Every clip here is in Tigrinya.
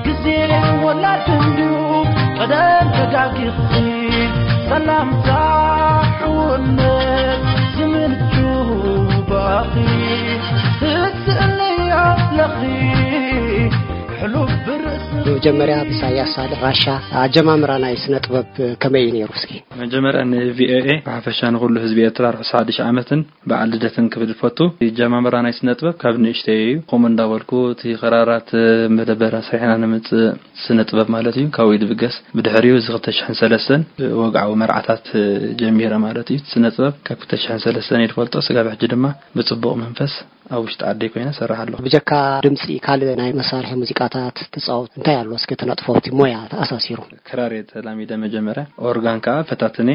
ግዜ ወላድ እንድዩ ቀደም ተጋጊኺ ሰላምታ ሕውነት ዝምንጩ ባኺ ትስእልኒ ኣለኺ ሕሉፍ ብርእሲ መጀመርያ ብኢሳያስ ሳልሕ ራሻ ኣጀማምራ ናይ ስነ ጥበብ ከመይ እዩ ነይሩ? እስኪ መጀመርያ ን ቪኦኤ ብሓፈሻ ንኹሉ ህዝቢ ኤርትራ ርሑስ ሓድሽ ዓመትን በዓል ልደትን ክብል ፈቱ። ኣጀማምራ ናይ ስነ ጥበብ ካብ ንእሽተይ እዩ። ከምኡ እንዳበልኩ እቲ ክራራት መደበራ ስሪሕና ንምጽእ ስነ ጥበብ ማለት እዩ ካብኡ እዩ ዝብገስ። ብድሕሪኡ እዚ ክልተ ሽሕን ሰለስተን ወግዓዊ መርዓታት ጀሚረ ማለት እዩ። ስነ ጥበብ ካብ ክልተ ሽሕን ሰለስተን እየ ዝፈልጦ ስጋብ ሕጂ ድማ ብጽቡቕ መንፈስ ኣብ ውሽጢ ዓደይ ኮይነ እሰርሕ ኣለኹ። ብጀካ ድምፂ ካልእ ናይ መሳርሒ ሙዚቃታት ትፃወት እንታይ ኣሎ? እስኪ ተነጥፎ ኣብቲ ሞያ ተኣሳሲሩ። ክራር እየ ተላሚደ መጀመርያ፣ ኦርጋን ከዓ ፈታትነ።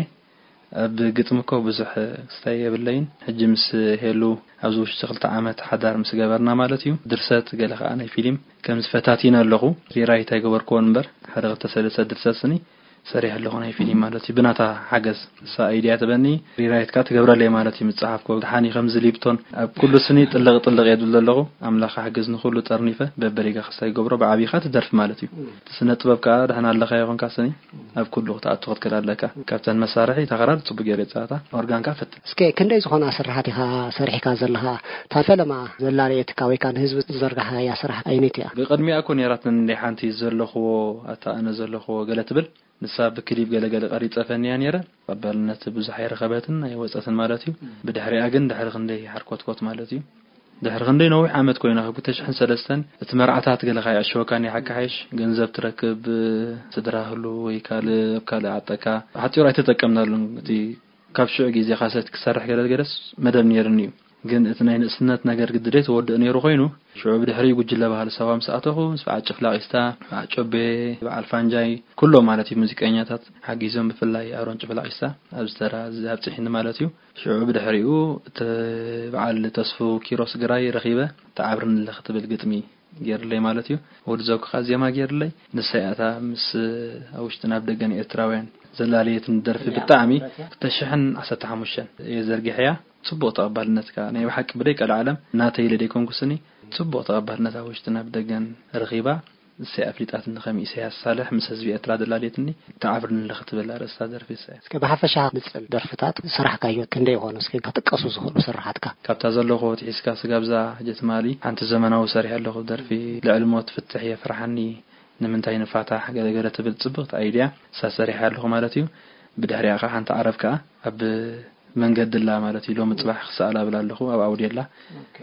ኣብ ግጥሚ እኮ ብዙሕ ክስታይ የብለይን። ሕጂ ምስ ሄሉ ኣብዚ ውሽጢ ክልተ ዓመት ሓዳር ምስ ገበርና ማለት እዩ። ድርሰት ገለ ከዓ ናይ ፊልም ከምዚ ፈታቲነ ኣለኹ። ሪራይት ኣይገበርክዎን እምበር ሓደ ክልተ ሰለስተ ድርሰት ስኒ ሰሪሕ ኣለኹ ናይ ፊልም ማለት እዩ። ብናታ ሓገዝ እሳ ኣይድያ ትበኒ ሪራይት ከዓ ትገብረለይ ማለት እዩ። ምፅሓፍኮ ድሓኒ ከምዚ ሊፕቶን ኣብ ኩሉ ስኒ ጥልቕ ጥልቕ እየ ዝብል ዘለኹ። ኣምላኽ ሓግዝ ንኹሉ ጠርኒፈ በበሪጋ ክስታይ ይገብሮ ብዓብይኻ ትደርፊ ማለት እዩ። እቲ ስነ ጥበብ ከዓ ድሕና ኣለኻ ይኹንካ ስኒ ኣብ ኩሉ ክትኣቱ ክትክእል ኣለካ። ካብተን መሳርሒ እታ ክራር ፅቡቅ ገይረ ይፃወታ። ኦርጋን ከዓ ፈትን። እስከ ክንደይ ዝኾና ስራሓት ኢኻ ሰሪሕካ ዘለኻ? እታ ፈለማ ዘላለየትካ ወይ ከዓ ንህዝቢ ዝዘርጋሓያ ስራሕ ኣይነት እያ? ብቅድሚኣ እኮ ነይራትኒ እንደ ሓንቲ ዘለኽዎ ኣታ ኣነ ዘለኽዎ ገለ ትብል ንሳ ብክሊፕ ገለገለ ቀሪፀ ፈንያ ነይረ። ተቐባልነት ብዙሕ ኣይረኸበትን ኣይወፀትን ማለት እዩ። ብድሕሪኣ ግን ድሕሪ ክንደይ ሓርኮትኮት ማለት እዩ ድሕሪ ክንደይ ነዊሕ ዓመት ኮይና ካብ ክልተ ሽሕን ሰለስተን እቲ መርዓታት ገለ ከይዕሸወካ ናይ ሓቂ ሓይሽ ገንዘብ ትረክብ ስድራ ህሉ ወይ ካልእ ኣብ ካልእ ዓጠካ ሓፂሩ ኣይተጠቀምናሉን። እቲ ካብ ሽዑ ግዜ ካሰት ክሰርሕ ገለ ገለስ መደብ ነይርኒ እዩ። ግን እቲ ናይ ንእስነት ነገር ግድደይ ተወድእ ነይሩ ኮይኑ ሽዑ ብድሕሪ ጉጅለ ባህሊ ሳዋ ምስ ኣተኹ ምስ በዓል ጭፍላቂስታ፣ በዓል ጮቤ፣ በዓል ፋንጃይ ኩሎም ማለት እዩ ሙዚቀኛታት ሓጊዞም ብፍላይ ኣሮን ጭፍላቂስታ ኣብዚ ተራ እዚ ኣብፅሒኒ ማለት እዩ። ሽዑ ብድሕሪኡ እቲ በዓል ተስፉ ኪሮስ ግራይ ረኺበ ተዓብርኒ ኣለኺ ትብል ግጥሚ ገይርለይ ማለት እዩ። ወዲ ዘውክኻ ዜማ ገይርለይ ንሳ እያ እታ ምስ ኣብ ውሽጥን ኣብ ደገን ኤርትራውያን ዘላለየትን ደርፊ ብጣዕሚ ክልተ ሽሕን ዓሰርተ ሓሙሽተን እየ ዘርጊሐያ። ጽቡቕ ተቐባልነት ከኣ ናይ ብሓቂ ብደይ ቀልዓለም ናተይ ኢለ ደይኮንኩ ስኒ ጽቡቕ ተቐባልነት ኣብ ውሽጥን ኣብ ደገን ረኺባ። እሰይ ኣፍሊጣትኒ ከም ኢሳያስ ሳልሕ ምስ ህዝቢ ኤርትራ ዘላለየትኒ ተዓብርኒ ኣለኺ ትብል ኣርእስታ ደርፊ እሰይ። እስከ ብሓፈሻ ንጽል ደርፍታት ዝሰራሕካዮ ክንደይ ይኾኑ? እስከ ክጥቀሱ ዝኽእሉ ስርሓትካ። ካብታ ዘለኹ ትሒዝካ ስጋብ እዛ ሕጂ ትማሊ ሓንቲ ዘመናዊ ሰሪሐ ኣለኹ ደርፊ ልዕሊ ሞት ፍትሕ የፍርሓኒ ንምንታይ ንፋታሕ ገለገለ ትብል ጽብቕቲ ኣይድያ እሳ ሰሪሐ ኣለኹ ማለት እዩ። ብድሕሪኣ ከኣ ሓንቲ ዓረብ ከኣ ኣብ መንገዲ ኣላ ማለት እዩ። ሎሚ ጽባሕ ክሰኣላ እብል ኣለኹ ኣብ ኣውድዮ ኣላ።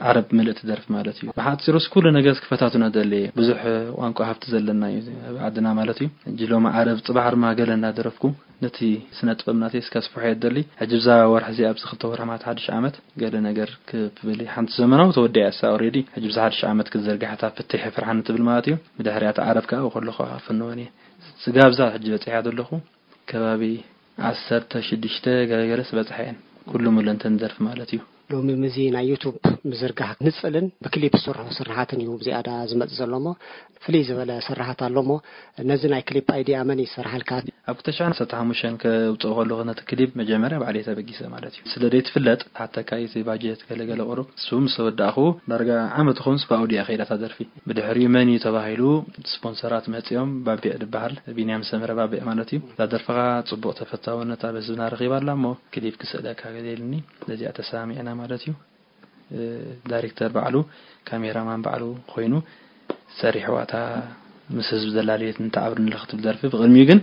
ዓረብ ምልእቲ ደርፊ ማለት እዩ። ብሓጺሩስ ኩሉ ነገርስ ክፈታትኖ ደልየ። ብዙሕ ቋንቋ ሃብቲ ዘለና እዩ ኣብ ዓድና ማለት እዩ። ሕጂ ሎሚ ዓረብ ጽባሕ ድማ ገለ እናደረፍኩ ነቲ ስነ ጥበብ ናተይ እስከ ኣስፍሖ እየ ደሊ። ሕጂ ብዛ ወርሒ እዚኣ ኣብዚ ክልተ ወርሒ ማለት ሓድሽ ዓመት ገለ ነገር ክብል ሓንቲ ዘመናዊ ተወዲኣ እሳ ኦሬዲ። ሕጂ ብዛ ሓድሽ ዓመት ክትዘርግሕ እታ ፍትሕ የፍርሓኒ ትብል ማለት እዩ። ብድሕሪኣ እታ ዓረብ ከኣ ከለኹ ከኣ ክፍንወን እየ። ስጋብ እዛ ሕጂ በጺሐ ዘለኹ ከባቢ ዓሰርተ ሽዱሽተ ገለገለስ በጽሐ እየን። ኩሉ ሙሉ እንተን ደርፊ ማለት እዩ። ሎሚ ምዚ ናይ ዩቱብ ምዝርጋሕ ንጽልን ብክሊፕ ዝስርሑ ስርሓትን እዩ ዝያዳ ዝመጽእ ዘሎ እሞ ፍልይ ዝበለ ስርሓት ኣሎ እሞ ነዚ ናይ ክሊፕ ኣይድያ መን እዩ ዝሰርሓልካ? ኣብ ክልተ ሽሕን ዓሰርተ ሓሙሽተን ከውጽኦ ከለኹ ነቲ ክሊፕ መጀመርያ ባዕለይ ተበጊሰ ማለት እዩ። ስለ ዘይትፍለጥ ሓተካ እቲ ባጀት ገለገለ ቁሩብ እሱ ምስ ተወዳእኹ ዳርጋ ዓመት ኾንስ ብኣውድያ ከይዳ እታ ደርፊ። ብድሕሪኡ መን እዩ ተባሂሉ ስፖንሰራት መጺኦም ባቢዕ ዝበሃል ቢንያም ሰመረ ባቢዕ ማለት እዩ። እዛ ደርፍኻ ጽቡቕ ተፈታውነት ኣብ ህዝብና ረኺባ ኣላ እሞ ክሊፕ ክስእለካ ገለ ኢሉኒ። ነዚኣ ተሰማሚዕና ማለት እዩ። እ፣ ዳይሬክተር ባዕሉ ካሜራማን ባዕሉ ኮይኑ ሰሪሕዋ እታ ምስ ህዝቢ ዘላለየት ንተዓብርኒ ኣለኺ ትብል ደርፊ። ብቕድሚኡ ግን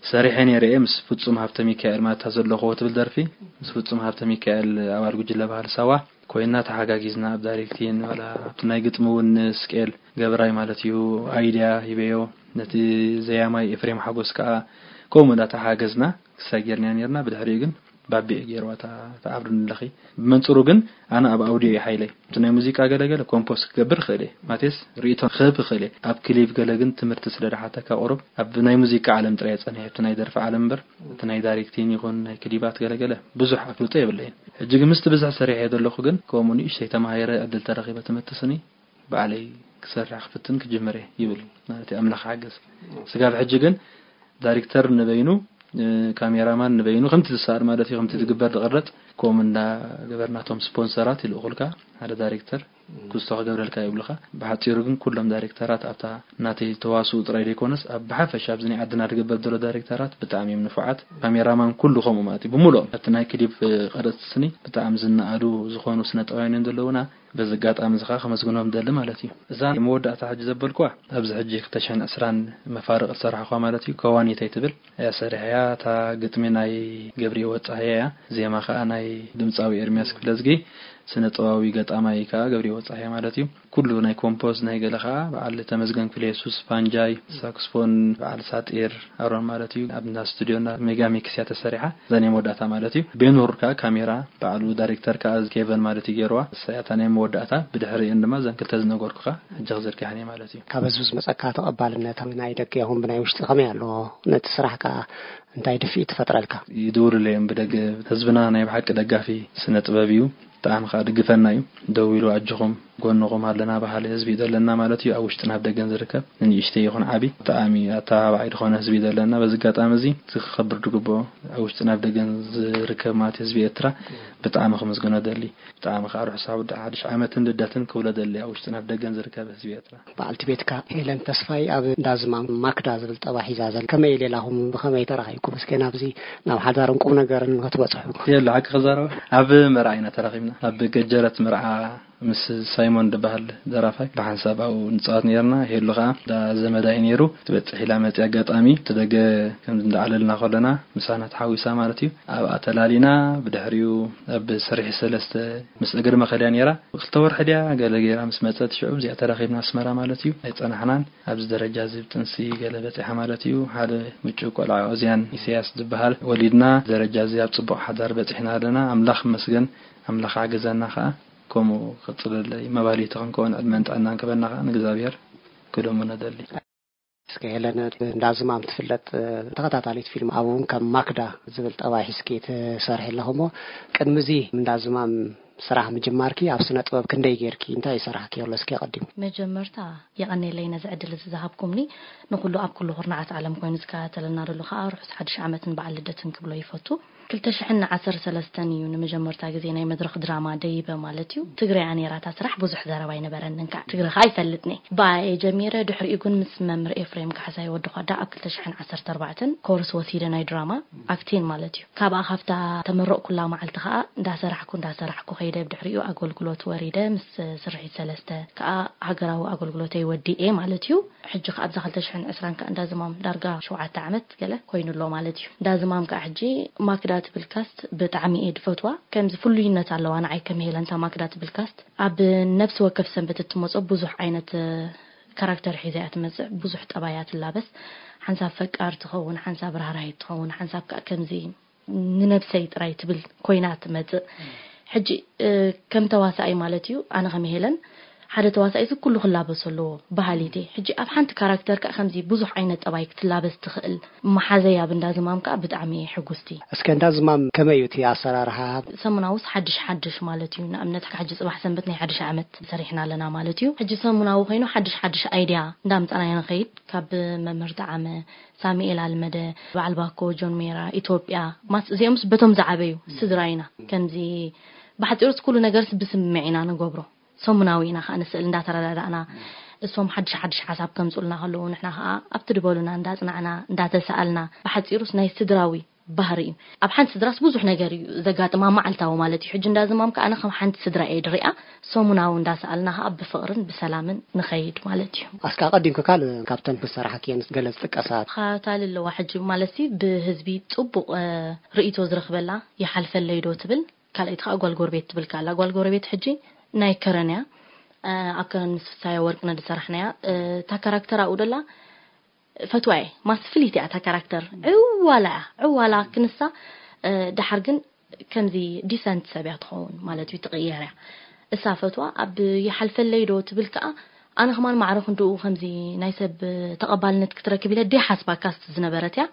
ሰሪሐ ነይረ እየ ምስ ፍጹም ሃብተ ሚካኤል ማለት እታ ዘለኹዎ ትብል ደርፊ ምስ ፍጹም ሃብተ ሚካኤል ኣባል ጉጅለ ባህሊ ሳዋ ኮይንና ተሓጋጊዝና ኣብ ዳይሬክቲን ዋላ ኣብቲ ናይ ግጥሚ እውን ስቄል ገብራይ ማለት እዩ ኣይድያ ሂበዮ ነቲ ዘያማይ ኤፍሬም ሓጎስ ከዓ ከምኡ እንዳተሓገዝና ክሳይ ጌርና ነርና ብድሕሪኡ ግን ባቢዕ ገይርዋ እታ ተዓብርኒ ኣለኺ ብመንፅሩ ግን ኣነ ኣብ ኣውድዮ እዩ ሓይለይ እቲ ናይ ሙዚቃ ገለገለ ኮምፖስ ክገብር ክእል እየ ማቴስ ርእቶ ክህብ ክእል እየ ኣብ ክሊፕ ገለ ግን ትምህርቲ ስለ ድሓተካ ቁሩብ ኣብ ናይ ሙዚቃ ዓለም ጥራይ ፀኒሐ እቲ ናይ ደርፊ ዓለም እምበር እቲ ናይ ዳይሬክቲን ይኹን ናይ ክሊባት ገለገለ ብዙሕ ኣፍልጦ የብለይን ሕጂ ግን ምስቲ ብዝሕ ሰሪሐ ዘለኹ ግን ከምኡ ንእሽተይ ተማሂረ ዕድል ተረኺበ ትምህርቲ ስኒ ባዕለይ ክሰርሕ ክፍትን ክጅምር እየ ይብል ማለት እዩ ኣምላኽ ሓገዝ ስጋብ ሕጂ ግን ዳይሬክተር ንበይኑ ካሜራማን ንበይኑ ከምቲ ዝሰኣል ማለት እዩ፣ ከምቲ ዝግበር ዝቕረጽ፣ ከምኡ እንዳገበርናቶም ስፖንሰራት ይልእኹልካ። ሓደ ዳይሬክተር ክስቶ ክገብረልካ ይብሉኻ። ብሓጺሩ ግን ኩሎም ዳይሬክተራት ኣብታ ናተይ ተዋስኡ ጥራይ ዘይኮነስ ኣብ ብሓፈሻ ኣብዚ ናይ ዓድና ዝግበር ዘሎ ዳይሬክተራት ብጣዕሚ እዮም ንፉዓት። ካሜራማን ኩሉ ከምኡ ማለት እዩ፣ ብምሉኦም ኣብቲ ናይ ክሊፕ ቀረጽቲ ስኒ ብጣዕሚ ዝነኣዱ ዝኾኑ ስነ ጥበባውያን ዘለውና። በዚ ኣጋጣሚ እዚ ከኣ ከመስግኖም ደሊ ማለት እዩ። እዛ መወዳእታ ሕጂ ዘበልኩዋ ኣብዚ ሕጂ ክልተ ሽሕን ዕስራን መፋርቕ ዝሰራሕኳ ማለት እዩ፣ ከዋኒተይ ትብል እያ ሰሪሐያ። እታ ግጥሚ ናይ ገብርሂወት ጸሃየ እያ፣ ዜማ ከኣ ናይ ድምጻዊ ኤርሚያስ ክፍለዝጊ፣ ስነ ጥበባዊ ገጣማይ ከኣ ገብርሂወት ጸሃየ ማለት እዩ። ኩሉ ናይ ኮምፖዝ ናይ ገለ ከኣ በዓል ተመስገን ክፍለየሱስ፣ ፋንጃይ፣ ሳክስፎን፣ በዓል ሳጢር ኣሮን ማለት እዩ። ኣብ እንዳ ስቱዲዮና ሜጋ ሚክስ እያ ተሰሪሓ፣ እዛ ናይ መወዳእታ ማለት እዩ። ቤኑር ከኣ ካሜራ፣ በዓሉ ዳይሬክተር ከኣ ኬቨን ማለት እዩ ገይርዋ። እሳ እያ እታ ናይ መወዳእታ። ብድሕሪእን ድማ እዘን ክልተ ዝነገርኩኻ ሕጂ ክዝርግሐን እየ ማለት እዩ። ካብ ህዝቢ ዝመጸካ ተቐባልነት፣ ናይ ደገ ይኹን ብናይ ውሽጢ ከመይ ኣሎ? ነቲ ስራሕ ከኣ እንታይ ድፍኢት ትፈጥረልካ? ይድውሉለይ እዮም ብደገ። ህዝብና ናይ ብሓቂ ደጋፊ ስነ ጥበብ እዩ። ብጣዕሚ ከኣ ድግፈና እዩ። ደው ኢሉ ኣጆኹም፣ ጎንኹም ኣለና በሃሊ ህዝቢ እዩ ዘለና ማለት እዩ። ኣብ ውሽጥን ኣብ ደገን ዝርከብ ንንእሽተይ ይኹን ዓቢ ብጣዕሚ ኣተባባዒ ዝኾነ ህዝቢ እዩ ዘለና። በዚ ኣጋጣሚ እዚ እቲ ክኸብር ድግብኦ ኣብ ውሽጥን ኣብ ደገን ዝርከብ ማለት ህዝቢ ኤርትራ ብጣዕሚ ክምስግኖ ደሊ። ብጣዕሚ ከኣ ርሑስ ኣውደ ሓድሽ ዓመትን ልደትን ክብሎ ደሊ ኣብ ውሽጥን ኣብ ደገን ዝርከብ ህዝቢ ኤርትራ። በዓልቲ ቤትካ ሄለን ተስፋይ ኣብ እንዳ ዝማም ማክዳ ዝብል ጠባ ሒዛ ዘላ። ከመይ ሌላኹም ብኸመይ ተራኺብኩም? እስከ ናብዚ ናብ ሓዳርን ቁም ነገርን ክትበጽሑ። የለ ሓቂ ክዛረብ ኣብ መርዓ ኢና ተራኺብና። ኣብ ገጀረት መርዓ ምስ ሳይሞን ዝበሃል ደራፋይ ብሓንሳብ ኣብኡ ንጻወት ነርና። ሄሉ ከኣ እንዳ ዘመዳ እዩ ነይሩ። ትበጽሕ ኢላ መጺኣ ኣጋጣሚ እቲ ደገ ከም እንዳዕለልና ከለና ምሳና ተሓዊሳ ማለት እዩ። ኣብኣ ተላሊና ብድሕሪኡ ኣብ ስርሒ ሰለስተ ምስ እግሪ መኸድያ ነይራ። ክልተ ወርሒ ድያ ገለ ገይራ ምስ መጸት ሽዑ እዚኣ ተራኺብና ኣስመራ ማለት እዩ። ኣይጸናሕናን። ኣብዚ ደረጃ እዚ ብጥንሲ ገለ በጺሓ ማለት እዩ። ሓደ ምጭው ቆልዓ ኦዝያን ኢሳያስ ዝበሃል ወሊድና። ደረጃ እዚ ኣብ ጽቡቕ ሓዳር በጺሕና ኣለና። ኣምላኽ ይመስገን። ኣምላኽ ሓገዘና ከኣ። ከምኡ ክቕጽለለይ መባሊቲ ክንከውን ዕድመን ጥዕናን ክበና ከኣ ንእግዚኣብሔር ክልምኖ ደሊ። እስከ ሄለን፣ እንዳ ዝማም ትፍለጥ ተኸታታሊት ፊልም፣ ኣብኡ እውን ከም ማክዳ ዝብል ጠባይ ሒዝኪ ትሰርሒ ኣለኹ እሞ፣ ቅድሚ እዚ እንዳ ዝማም ስራሕ ምጅማርኪ ኣብ ስነ ጥበብ ክንደይ ጌርኪ፣ እንታይ ይሰርሓ ከሎ እስኪ ኣቐዲሙ? መጀመርታ የቐኔለይ ነዚ ዕድል እዚ ዝሃብኩምኒ። ንኹሉ ኣብ ኩሉ ኩርናዓት ዓለም ኮይኑ ዝከታተለና ዘሎ ከኣ ርሑስ ሓድሽ ዓመትን በዓል ልደትን ክብሎ ይፈቱ። ክልተ ሽሕን ዓሰርተ ሰለስተን እዩ ንመጀመርታ ግዜ ናይ መድረኽ ድራማ ደይበ ማለት እዩ። ትግረ እያ ነይራ እታ ስራሕ፣ ብዙሕ ዘረባ ኣይነበረንን ከዓ። ትግረ ከዓ ኣይፈልጥን እየ። ብኣ እየ ጀሚረ። ድሕሪኡ ግን ምስ መምህር ኤፍሬም ካሕሳይ ወዲ ኳዳ ኣብ ክልተ ሽሕን ዓሰርተ ኣርባዕተን ኮርስ ወሲደ ናይ ድራማ ኣክቲን ማለት እዩ። ካብኣ ካብታ ተመረቕኩላ መዓልቲ ከዓ እንዳሰራሕኩ እንዳሰራሕኩ ከይደ፣ ብድሕሪኡ ኣገልግሎት ወሪደ ምስ ስርሒት ሰለስተ ከዓ ሃገራዊ ኣገልግሎተይ ወዲኤ ማለት እዩ። ሕጂ ከኣ ኣብዛ ክልተ ሽሕን ዕስራን ከኣ እንዳ ዝማም ዳርጋ ሸውዓተ ዓመት ገለ ኮይኑ ኣሎ ማለት እዩ። እንዳ ዝማም ከኣ ሕጂ ማክዳ ትብል ካስት ብጣዕሚ እየ ድፈትዋ። ከምዚ ፍሉይነት ኣለዋ ንዓይ ከም ሄለንታ ማክዳ ትብል ካስት። ኣብ ነፍሲ ወከፍ ሰንበት እትመጾ ብዙሕ ዓይነት ካራክተር ሒዛ እያ ትመጽእ። ብዙሕ ጠባይ እያ ትላበስ። ሓንሳብ ፈቃር ትኸውን፣ ሓንሳብ ራህራሂት ትኸውን፣ ሓንሳብ ከኣ ከምዚ ንነብሰይ ጥራይ ትብል ኮይና ትመጽእ። ሕጂ ከም ተዋሳኣይ ማለት እዩ፣ ኣነ ከም ሄለን ሓደ ተዋሳኣይ እዚ ኩሉ ክላበሶ ኣለዎ በሃሊት እየ። ሕጂ ኣብ ሓንቲ ካራክተር ከኣ ከምዚ ብዙሕ ዓይነት ጠባይ ክትላበስ ትኽእል መሓዘይ ኣብ እንዳ ዝማም ከኣ ብጣዕሚ እየ ሕጉስቲ። እስከ እንዳ ዝማም ከመይ እዩ እቲ ኣሰራርሓ? ሰሙናውስ ሓድሽ ሓድሽ ማለት እዩ። ንኣብነት ሕጂ ጽባሕ ሰንበት ናይ ሓድሽ ዓመት ሰሪሕና ኣለና ማለት እዩ። ሕጂ ሰሙናዊ ኮይኑ ሓድሽ ሓድሽ ኣይድያ እንዳምጻና ኢና ንኸይድ። ካብ መምህር ጠዓመ ሳሙኤል ኣልመደ፣ በዓል ባኮ፣ ጆን ሜራ፣ ኢትዮጵያ፣ ማስ-፣ እዚኦምስ በቶም ዝዓበዩ ስድራ ኢና። ከምዚ ብሓጺሩስ ኩሉ ነገርስ ብስምምዕ ኢና ንገብሮ። ሰሙናዊ ኢና ከኣ ንስእል እንዳተረዳዳእና፣ እሶም ሓድሽ ሓድሽ ሓሳብ ከምጽኡልና ከለዉ ንሕና ከኣ ኣብቲ ድበሉና እንዳጽናዕና፣ እንዳተሳኣልና፣ ብሓጺሩስ ናይ ስድራዊ ባህሪ እዩ። ኣብ ሓንቲ ስድራስ ብዙሕ ነገር እዩ ዘጋጥማ፣ መዓልታዊ ማለት እዩ። ሕጂ እንዳ ዝማም ከኣ ኣነ ከም ሓንቲ ስድራ እየ ድሪኣ፣ ሰሙናዊ እንዳሰኣልና ከኣ ብፍቕርን ብሰላምን ንኸይድ ማለት እዩ። ኣስካ ኣቐዲምኪ ካል ካብተን ክሰራሕክየን ገለ ዝጥቀሳ? ካታሊ ኣለዋ ሕጂ ማለትሲ ብህዝቢ ጽቡቕ፣ እ፣ ርእይቶ ዝረኽበላ ይሓልፈለይ ዶ ትብል፣ ካልኣይቲ ከኣ ጓል ጎረቤት ትብል ከኣ ኣላ። ጓል ጎረቤት ሕጂ ናይ ከረን እያ። እ፣ ኣብ ከረን ምስ ፍሳዮ ወርቅነ ዝሰራሕናያ፣ እ፣ እታ ካራክተር ኣብኡ ደላ ፈትዋ እየ። ማስ ፍልይቲ እያ እታ ካራክተር። ዕዋላ እያ። ዕዋላ ክንሳ፣ እ፣ ደሓር ግን ከምዚ ዲሰንት ሰብ እያ ትኸውን ማለት እዩ፣ ትቕየር እያ። እሳ ፈትዋ ኣብ ይሓልፈለይ ዶ ትብል ከኣ፣ ኣነ ከማን ማዕረ ክንድኡ ከምዚ ናይ ሰብ ተቐባልነት ክትረክብ ኢለ ደይሓስባ ካስት ዝነበረት እያ።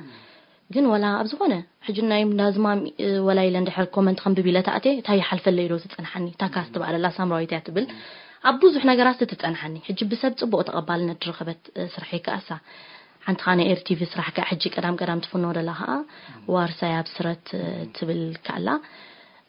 ግን ወላ ኣብ ዝኾነ ሕጂ ናይ እንዳ ዝማም፣ እ፣ ወላ ኢለ እንድሕር ኮመንት ከንብብ ኢለ ተኣትየ፣ እንታይ ይሓልፈለይ ዶ ትጸንሓኒ? እታ ካስት በኣለላ ሳምራዊት እያ ትብል። ኣብ ብዙሕ ነገራት ትጸንሓኒ። ሕጂ ብሰብ ጽቡቕ ተቐባልነት ዝረኸበት፣ እ፣ ስርሐይ ከኣ እሳ። ሓንቲ ኸዓ ናይ ኤርቲቪ ስራሕ ከዓ ሕጂ ቀዳም ቀዳም ትፍኖ ደላ ኸዓ ዋርሳይ ኣብ ስረት ትብል ከኣላ።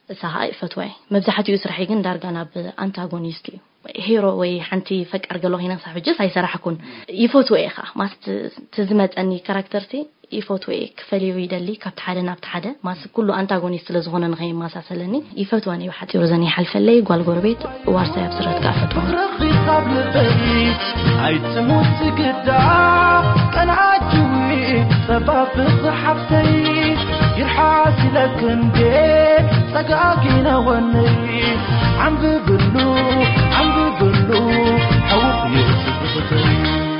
እሳ ኸዓ ይፈትዋ እየ። መብዛሕትኡ ስራሐይ ግን ዳርጋ ናብ ኣንታጎኒስት እዩ። ሄሮ ወይ ሓንቲ ፈቃር ገሎ ኺነ ክሳብ ሕጅስ ኣይሰራሕኩን። ይፈትዎ እየ ኸዓ። ማስ እቲ ዝመጸኒ ካራክተርሲ ይፈትዎ እየ። ክፈልዮ ይደሊ ካብቲ ሓደ ናብቲ ሓደ። ማስ ኩሉ ኣንታጎኒስት ስለ ዝኾነ ንኸይመሳሰለኒ ይፈትወን እየ። ብሓጺሩ ዘን ይሓልፈለይ፣ ጓል ጎረቤት፣ ዋርሳይ ኣብ ስረት ከኣ ፈትዋ። ረኺብ ካብ ልበይ ኣይትሙት ግዳ ቀንዓትዊ ጸባብ ሓፍተይ ይርሓስ ኢለክ እንዴ ጸጋጊነ ወነይ ዓንብብሉ ዓንብብሉ ሕውኽ እዩ ትዝኽተይ